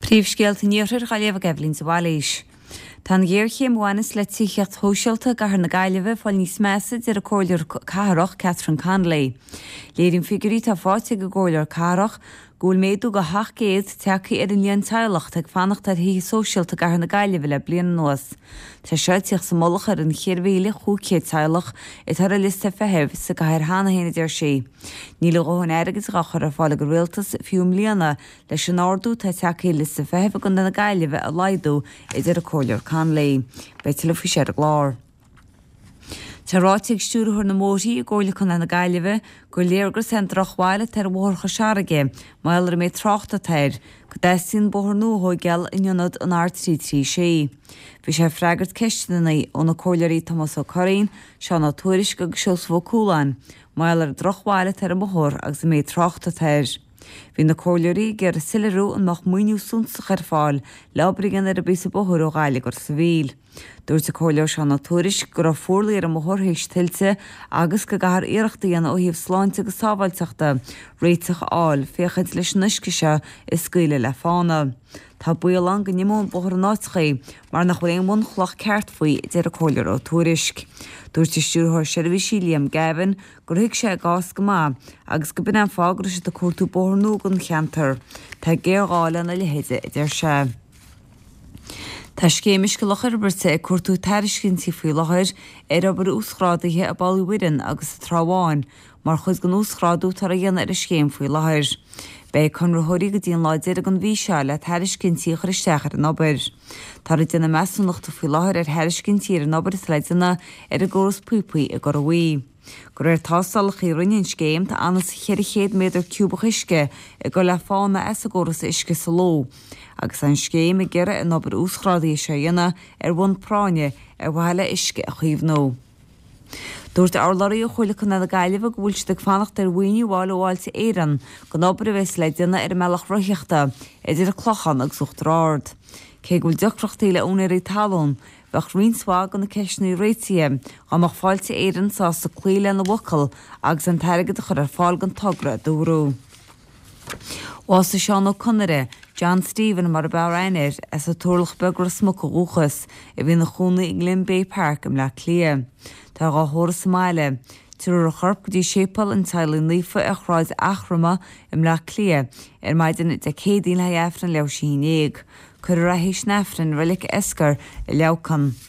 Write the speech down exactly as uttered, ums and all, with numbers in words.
Príomhscéalta an Iarthair á léamh ag Eibhlín de Bhailís. Tá an ghéarchéim a bhaineas le tithíocht shóisialta i gcathair na Gaillimhe ag fáil níos measa, a deir an Comhairleoir Cathrach Catherine Connolly. Léiríonn figiúirí atá faighte ag an gComhairleoir Cathrach go bhfuil méadú de sheacht gcéad tagtha ar an líon teaghlach atá ag fanacht ar thithe sóisialta i gcathair na Gaillimhe le bliain anuas. Tá seo ag tíocht sa mullach ar an cheithre mhíle chúig chéad teaghlach atá ar an liosta feithimh sa gcathair cheana féin, a deir sí. Níl a dhóthain airgid á chur ar fáil ag an rialtas fiú i mbliana leis an ardú atá tagtha ar liosta feithimh i gContae na Gaillimhe a laghdú, a deir an Comhairleoir Connolly. Beidh tuilleadh faoi seo ar an gclár. Tá ráite ag Stiúrthóir na mBóithrí i gComhairle Contae na Gaillimhe gur léargas é an drochbhail atá ar Bhóthar Chois Fharraige, mar gheall ar an méid tráchta atá air, go dteastaíonn bóthar nua a thóigeáil in ionad an R trí trí sé. Bhí sé ag freagairt ceisteanna ó na Comhairleoirí Tomás Ó Curraoin, Seán Ó Tuairisg agus Seosamh Ó Cualáin mar gheall ar an drochbhail atá ar an mbóthar agus an méid tráchta atá air. Bhí na Comhairleoirí ag iarraidh soiléiriú an mbeadh maoiniú suntasach ar fáil le obair a dhéanamh ar an bpíosa bóthair ó Ghaillimh go Ros an Mhíl. Dúirt an Comhairleoir Seán Ó Tuairisg go raibh fuarlaigh ar an mbóthar théis tuilte agus go gcaithfear iarracht a dhéanamh ó thaobh sláinte agus sábháilteachta réiteach a fháil féachaint leis an uisce seo a scaoileadh le fána. Tá baol ann go n-imeodh an bóthar in áiteachaí mar nach bhfuil aon bhunchloch ceart faoi, a deir an Comhairleoir Ó Tuairisg. Dúirt an Stiúrthóir Seirbhísí Liam Gavin gur thuig sé a gcás go maith agus go b'in an fáth go raibh siad ag cuartú bóthar nua don cheantar. Tá géarghá lena leithéid, a deir sé. Tá Scéim Uisce Loch Íobarta ag cuartú tairiscintí faoi láthair ar obair uasghrádaithe i bPoll Uí Mhuireann agus sa Trá Bháin mar chuid den uasghrádú atá á dhéanamh ar an scéim faoi láthair. Beidh conraitheoirí go dtí an lá deiridh den mhí seo le tairiscintí a chur isteach ar an obair. Táthar ag déanamh measúnachta faoi láthair ar thairiscintí ar an obair atá le déanamh ar an gcóras píopaí i gCora Bhuí. De réir tástálacha a rinne an scéim, tá anuas ceithre chéad méadar ciúbach uisce ag dul le fána as an gcóras uisce sa ló, agus tá an scéim ag iarraidh an obair uasghrádaithe seo a dhéanamh ar bhonn práinne ar mhaithe le uisce a chaomhnú. Dúirt urlabhraí ó Chomhairle Contae na Gaillimhe go bhfuil siad ag fanacht ar mhaoiniú a fháil ó Fháilte Éireann don obair a bheas le déanamh ar an mbealach rothaíochta idir an Clochán agus Uachtar Ard. Cé go bhfuil deacrachtaí le úinéirí talún, bheadh roinnt mhaith de na ceisteanna réitithe dá mbeadh Fáilte Éireann sásta cloí lena bhfocal agus an t-airgead a chur ar fáil don togra, a dúradh. Bhásaigh Seán Ó Conaire, John Stephen mar ab fhearr aithne air, as an Turlach Beag Ros Muc ó dhúchas, a bhí ina chónaí i nGlen Bay Park i mBleá Cliath. Tá dhá thórramh sa mbaile. Tabharfar a chorp go dtí Séipéal an Teaghlaigh Naofa ar Shráid Eachroma i mBleá Cliath ar maidin Dé Céadaoin le haghaidh Aifreann leathuair tar éis a haon déag. Cuirfear é théis an Aifrinn i Reilig Esker i Leamhcán.